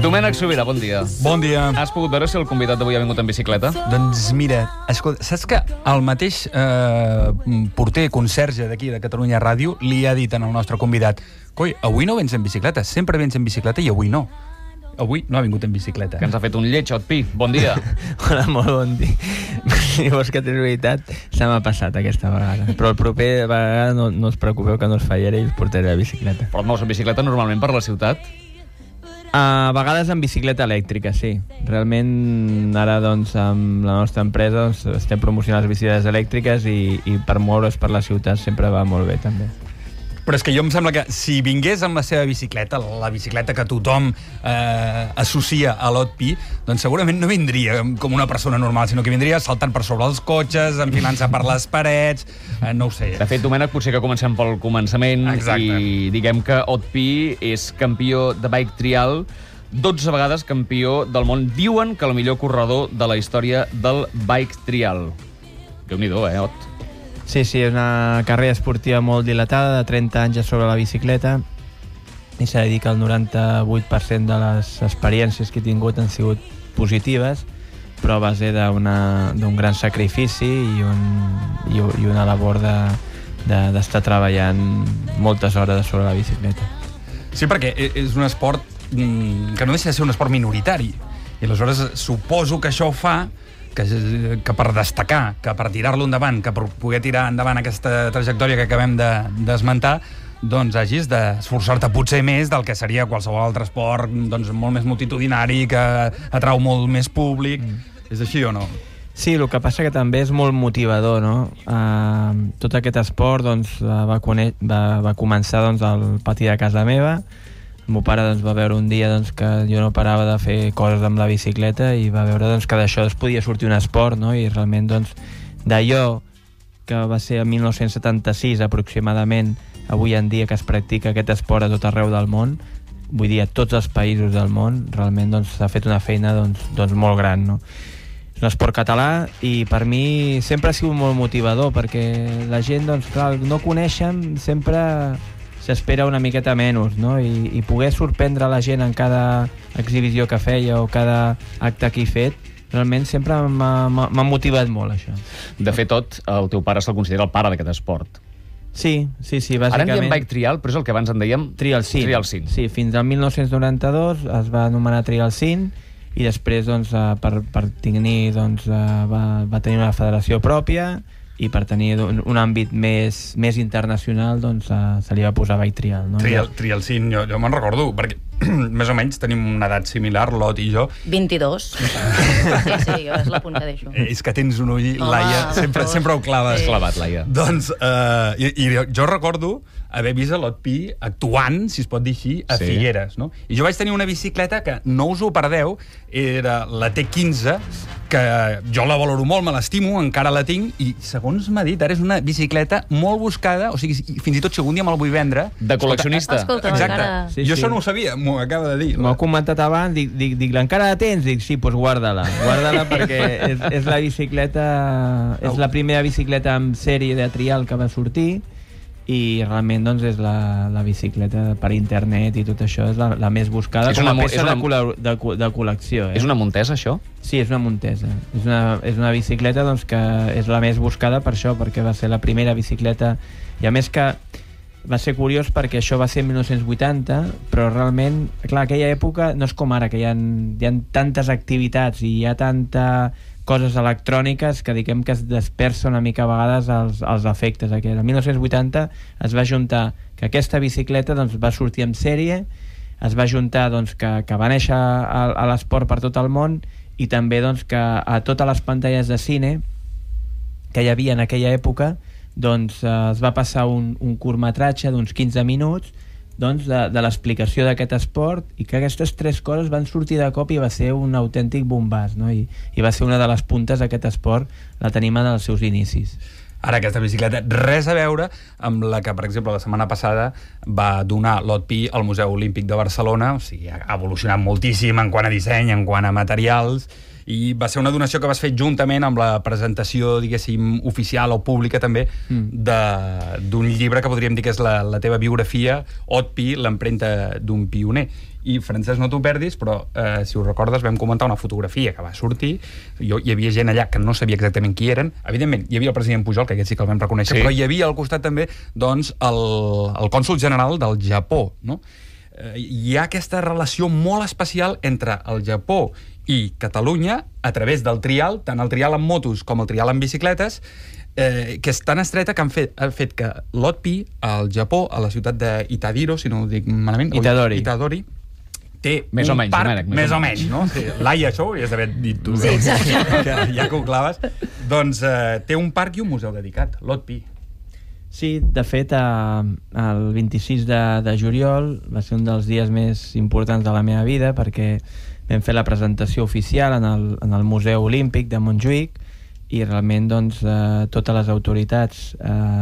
Domènec Sobirà, bon dia. Bon dia. Has pogut veure si el convidat d'avui ha vingut en bicicleta? Doncs mira, escolta, saps que el mateix porter, conserge d'aquí, de Catalunya Ràdio, li ha dit al nostre convidat: coi, avui no vens en bicicleta, sempre vens en bicicleta i avui no. Avui no ha vingut en bicicleta. Que ens ha fet un lleig, Otpi. Bon dia. Hola, molt bon dia. Si vols que tens veritat, se m'ha passat aquesta vegada. Però el proper vegada no us preocupeu que no us fallaré i us portaré la bicicleta. Però et mous en bicicleta normalment per la ciutat? A vegades en bicicleta elèctrica, sí. Realment, ara, doncs, amb la nostra empresa estem promocionant les bicicletes elèctriques i per moure's per la ciutat sempre va molt bé, també. Però és que jo em sembla que si vingués amb la seva bicicleta, la bicicleta que tothom associa a l'Otpi, doncs segurament no vindria com una persona normal, sinó que vindria saltant per sobre els cotxes, enfilant-se per les parets, no ho sé. De fet, Domènec, potser que comencem pel començament. Exacte. I diguem que Otpi és campió de bike trial, 12 vegades campió del món. Diuen que el millor corredor de la història del bike trial. Déu-n'hi-do, Ot? Sí, és una carrera esportiva molt dilatada, de 30 anys a sobre la bicicleta, i s'ha de dir que el 98% de les experiències que he tingut han sigut positives, però a base d'un gran sacrifici i una labor d'estar treballant moltes hores sobre la bicicleta. Sí, perquè és un esport que no deixa de ser un esport minoritari, i aleshores suposo que això fa que per destacar, que per tirar-lo endavant, que per poder tirar endavant aquesta trajectòria que acabem d'esmentar, doncs hagis d'esforçar-te potser més del que seria qualsevol altre esport, doncs molt més multitudinari, que atrau molt més públic. És així o no? Sí, el que passa que també és molt motivador, no? Tot aquest esport doncs, va començar doncs, al pati de casa meva. El meu pare doncs, va veure un dia doncs, que jo no parava de fer coses amb la bicicleta i va veure doncs, que d'això podia sortir un esport, no? I realment doncs, d'allò que va ser el 1976 aproximadament, avui en dia que es practica aquest esport a tot arreu del món, vull dir a tots els països del món, realment doncs, s'ha fet una feina doncs, molt gran, no? És un esport català i per mi sempre ha sigut molt motivador perquè la gent, doncs, clar, no coneixen, sempre s'espera una miqueta menys, no? I poder sorprendre la gent en cada exhibició que feia o cada acte que he fet, realment sempre m'ha motivat molt, això. De fet, Tot, el teu pare se'l considera el pare d'aquest esport. Sí, bàsicament. Ara en diem bike trial, però és el que abans en dèiem Trial Sin. Sí, fins al 1992 es va anomenar Trial Sin i després, doncs, per tenir, doncs, va tenir una federació pròpia i per tenir un àmbit més internacional doncs, se li va posar bike trial, no? Trial Sin, jo me'n recordo, perquè més o menys tenim una edat similar, l'Ot i jo. 22. Sí, jo és l'apunt que deixo. És que tens un ull, Laia, sempre ho claves. Has clavat, Laia. Doncs, i jo recordo haver vist l'Otpi actuant, si es pot dir així, a Figueres, no? I jo vaig tenir una bicicleta que, no us ho perdeu, era la T15, que jo la valoro molt, me l'estimo, encara la tinc, i segons m'ha dit, ara és una bicicleta molt buscada, o sigui, fins i tot si algun dia me la vull vendre... De col·leccionista. Escolta, exacte. encara... Sí, jo això no ho sabia, m'ho acaba de dir. M'ho ha comentat abans, dic, encara la tens? Dic, sí, doncs guarda-la perquè és la bicicleta, és la primera bicicleta en sèrie de trial que va sortir i realment doncs, és la bicicleta per internet i tot això és la més buscada com a peça de col·lecció. És una Montesa, això? Sí, és una Montesa. És una bicicleta doncs, que és la més buscada per això, perquè va ser la primera bicicleta i a més que va ser curiós perquè això va ser en 1980, però realment, clar, aquella època no és com ara, que hi ha tantes activitats i hi ha tanta coses electròniques que diguem que es dispersa una mica a vegades els efectes. El 1980 es va juntar que aquesta bicicleta doncs, va sortir en sèrie, es va juntar doncs, que va néixer a l'esport per tot el món i també doncs, que a totes les pantalles de cine que hi havia en aquella època doncs, es va passar un curtmetratge d'uns 15 minuts doncs, de l'explicació d'aquest esport i que aquestes tres coses van sortir de cop i va ser un autèntic bombàs, no? I va ser una de les puntes d'aquest esport, la tenim en els seus inicis. Ara aquesta bicicleta, res a veure amb la que, per exemple, la setmana passada va donar l'Otpi al Museu Olímpic de Barcelona, o sigui, ha evolucionat moltíssim en quant a disseny, en quant a materials, I va ser una donació que vas fer juntament amb la presentació, diguéssim, oficial o pública també, d'un llibre que podríem dir que és la teva biografia, Haute Pi, l'empremta d'un pioner. I, Francesc, no t'ho perdis, però si us recordes vam comentar una fotografia que va sortir, hi havia gent allà que no sabia exactament qui eren, evidentment hi havia el president Pujol, que aquest sí que el vam reconèixer, però hi havia al costat també doncs, el cònsol general del Japó, no? Hi ha aquesta relació molt especial entre el Japó i Catalunya a través del trial, tant el trial amb motos com el trial amb bicicletes, que és tan estreta que han fet que l'Haute Pi al Japó, a la ciutat d'Itadiro, si no ho dic malament, Itadori, té més un o menys, parc, Domènec, més o menys, no? Sí, Laia, això ho havies d'haver dit tu. Sí, exacte. Ja que ho claves. Doncs té un parc i un museu dedicat, l'Haute Pi. Sí, de fet, el 26 de juliol va ser un dels dies més importants de la meva vida perquè vam fer la presentació oficial en el Museu Olímpic de Montjuïc i realment doncs, totes les autoritats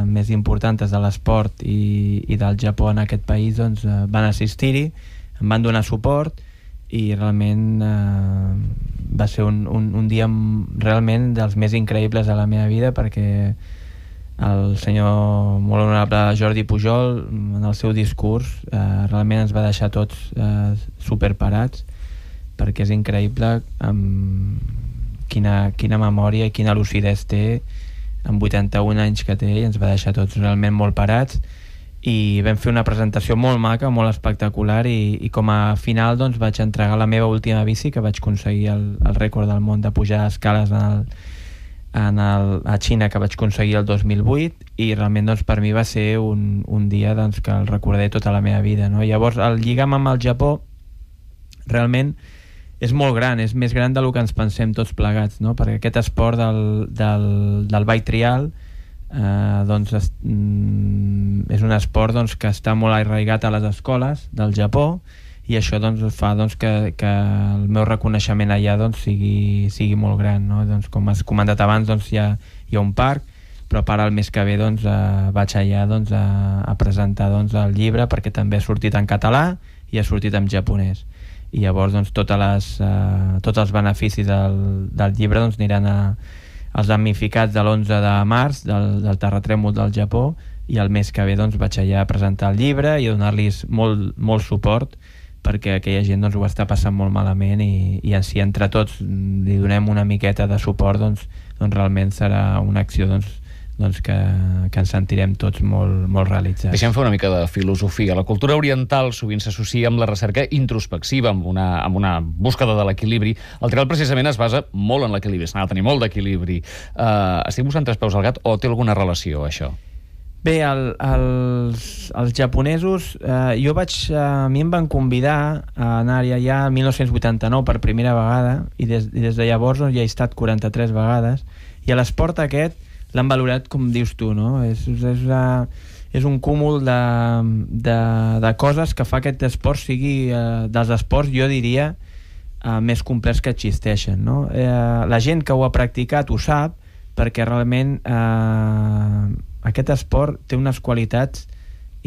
més importants de l'esport i del Japó en aquest país doncs, van assistir-hi, em van donar suport i realment va ser un dia realment dels més increïbles de la meva vida perquè el senyor molt honorable Jordi Pujol en el seu discurs realment ens va deixar tots superparats perquè és increïble quina memòria i quina lucidesa té amb 81 anys que té i ens va deixar tots realment molt parats i vam fer una presentació molt maca, molt espectacular i com a final doncs, vaig entregar la meva última bici que vaig aconseguir el rècord del món de pujar escales a Xina que vaig aconseguir el 2008 i realment doncs, per mi va ser un dia doncs, que el recordaré tota la meva vida, no? Llavors el lligam amb el Japó realment és molt gran, és més gran del que ens pensem tots plegats, no? Perquè aquest esport del bike trial doncs, és un esport doncs, que està molt arraigat a les escoles del Japó i això doncs, fa doncs, que el meu reconeixement allà doncs, sigui molt gran, no? Doncs, com has comentat abans doncs, hi ha un parc però per al mes que ve doncs, vaig allà doncs, a presentar doncs, el llibre perquè també ha sortit en català i ha sortit en japonès i llavors doncs, tots els beneficis del llibre doncs, aniran als damnificats de l'11 de març del terratrèmol del Japó i el mes que ve doncs, vaig allà a presentar el llibre i a donar-los molt suport perquè aquella gent doncs, ho està passant molt malament i si entre tots li donem una miqueta de suport doncs realment serà una acció que ens sentirem tots molt realitzats. Deixem fer una mica de filosofia. La cultura oriental sovint s'associa amb la recerca introspectiva, amb una búsqueda de l'equilibri. El trial precisament es basa molt en l'equilibri, s'ha de tenir molt d'equilibri. Estic buscant tres peus al gat o té alguna relació, això? Bé, els japonesos, a mi em van convidar a anar-hi allà el 1989 per primera vegada i des de llavors ja he estat 43 vegades i l'esport aquest l'han valorat com dius tu, no? És un cúmul de coses que fa que aquest esport sigui dels esports, jo diria, més complets que existeixen, no? La gent que ho ha practicat ho sap perquè realment aquest esport té unes qualitats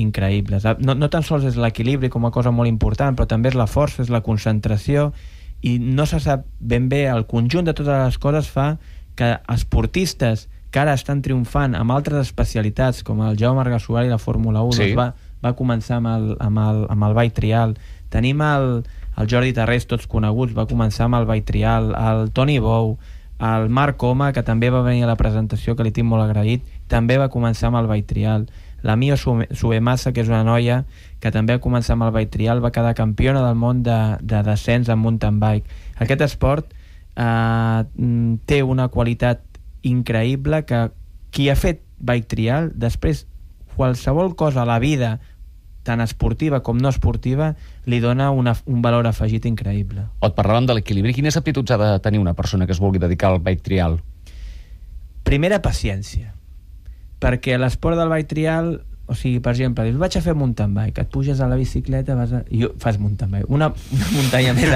increïbles. No tan sols és l'equilibri com a cosa molt important, però també és la força, és la concentració i no se sap ben bé, el conjunt de totes les coses fa que esportistes que ara estan triomfant amb altres especialitats com el Jaume Arguersuari i la Fórmula 1 sí. doncs va començar amb el bike trial. Tenim el Jordi Tarrés, tots coneguts, va començar amb el bike trial, el Toni Bou, el Marc Coma, que també va venir a la presentació, que li tinc molt agraït, també va començar amb el bike trial. La Mio Subemasa, que és una noia que també va començar amb el bike trial, va quedar campiona del món de descens en mountain bike. Aquest esport té una qualitat increïble que qui ha fet bike trial després qualsevol cosa a la vida tant esportiva com no esportiva li dona un valor afegit increïble. Et parlàvem de l'equilibri. Quines aptituds ha de tenir una persona que es vulgui dedicar al bike trial? Primera, paciència, perquè l'esport del bike trial, o sigui, per exemple, dius, vaig a fer mountain bike, et puges a la bicicleta i fas mountain bike, una muntanya més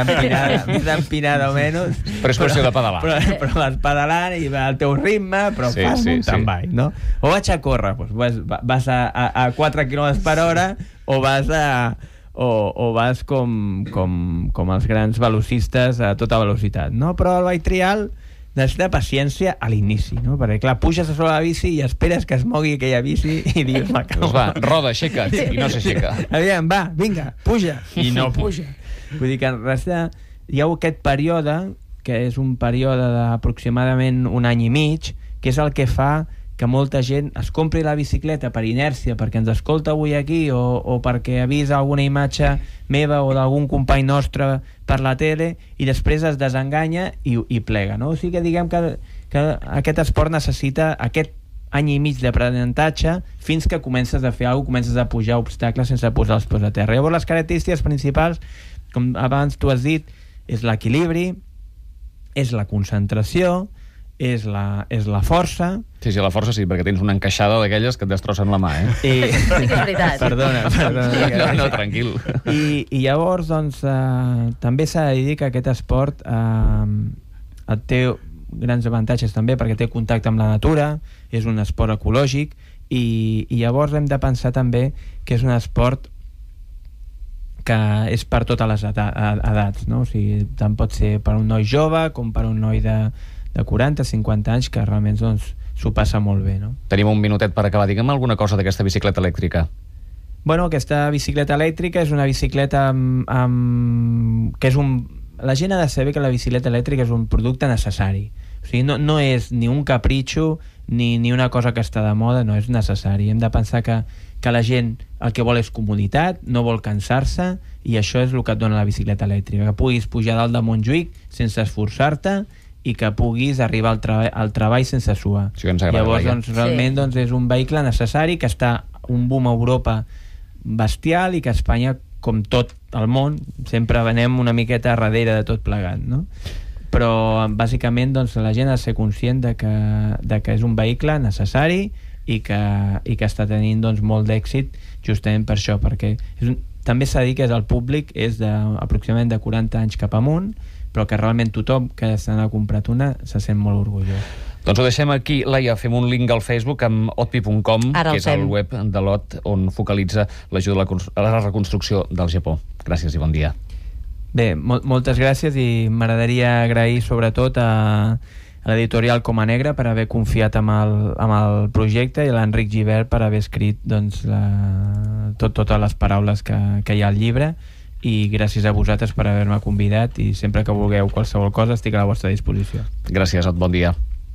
empinada o menys, però és qüestió de pedalar, però vas pedalant i va al teu ritme, però fas mountain bike, no? O vaig a córrer, doncs vas a 4 km per hora o o vas com els grans velocistes a tota velocitat, no? Però el bike trial necessita paciència a l'inici, no? Perquè, clar, puges a sobre la bici i esperes que es mogui aquella bici i dius, Doncs va, roda, aixeca't, i no s'aixeca. Aviam, va, vinga, puja, i no puja. Vull dir que hi ha aquest període, que és un període d'aproximadament un any i mig, que és el que fa que molta gent es compri la bicicleta per inèrcia, perquè ens escolta avui aquí, o perquè ha vist alguna imatge meva o d'algun company nostre per la tele, i després es desenganya i plega, no? O sigui que diguem que aquest esport necessita aquest any i mig d'aprenentatge fins que comences a fer alguna cosa, comences a pujar obstacles sense posar els peus a terra. Llavors les característiques principals, com abans tu has dit, és l'equilibri, és la concentració, és la força. Sí, la força sí, perquè tens una encaixada d'aquelles que et destrossen la mà, Sí que és veritat. Perdona. No, tranquil. I llavors, doncs, també s'ha de dir que aquest esport té grans avantatges també, perquè té contacte amb la natura, és un esport ecològic, i llavors hem de pensar també que és un esport que és per totes les edats, no? O sigui, tant pot ser per un noi jove com per un noi de 40, 50 anys, que realment doncs, s'ho passa molt bé, no? Tenim un minutet per acabar. Digue'm alguna cosa d'aquesta bicicleta elèctrica. Bueno, aquesta bicicleta elèctrica és una bicicleta que és la gent ha de saber que la bicicleta elèctrica és un producte necessari. O sigui, no és ni un capritxo ni una cosa que està de moda, no, és necessari. Hem de pensar que la gent el que vol és comoditat, no vol cansar-se, i això és el que et dona la bicicleta elèctrica, que puguis pujar dalt de Montjuïc sense esforçar-te i que puguis arribar al treball sense suar. Sí, ens agrada. Llavors, doncs, realment doncs, és un vehicle necessari, que està un boom a Europa bestial, i que a Espanya, com tot el món, sempre venem una miqueta darrere de tot plegat, no? Però bàsicament doncs, la gent ha de ser conscient de que és un vehicle necessari i que està tenint doncs, molt d'èxit justament per això, perquè també s'ha de dir que el públic és aproximadament de 40 anys cap amunt, però que realment tothom que se n'ha comprat una se sent molt orgullós. Doncs ho deixem aquí. Laia, fem un link al Facebook amb otpi.com, que és el web de l'OT, on focalitza l'ajuda a la reconstrucció del Japó. Gràcies i bon dia. Bé, moltes gràcies, i m'agradaria agrair sobretot a l'editorial Coma Negra per haver confiat amb el projecte, i a l'Enric Gibert per haver escrit doncs, totes les paraules que hi ha al llibre, i gràcies a vosaltres per haver-me convidat, i sempre que vulgueu qualsevol cosa estic a la vostra disposició. Gràcies, bon dia.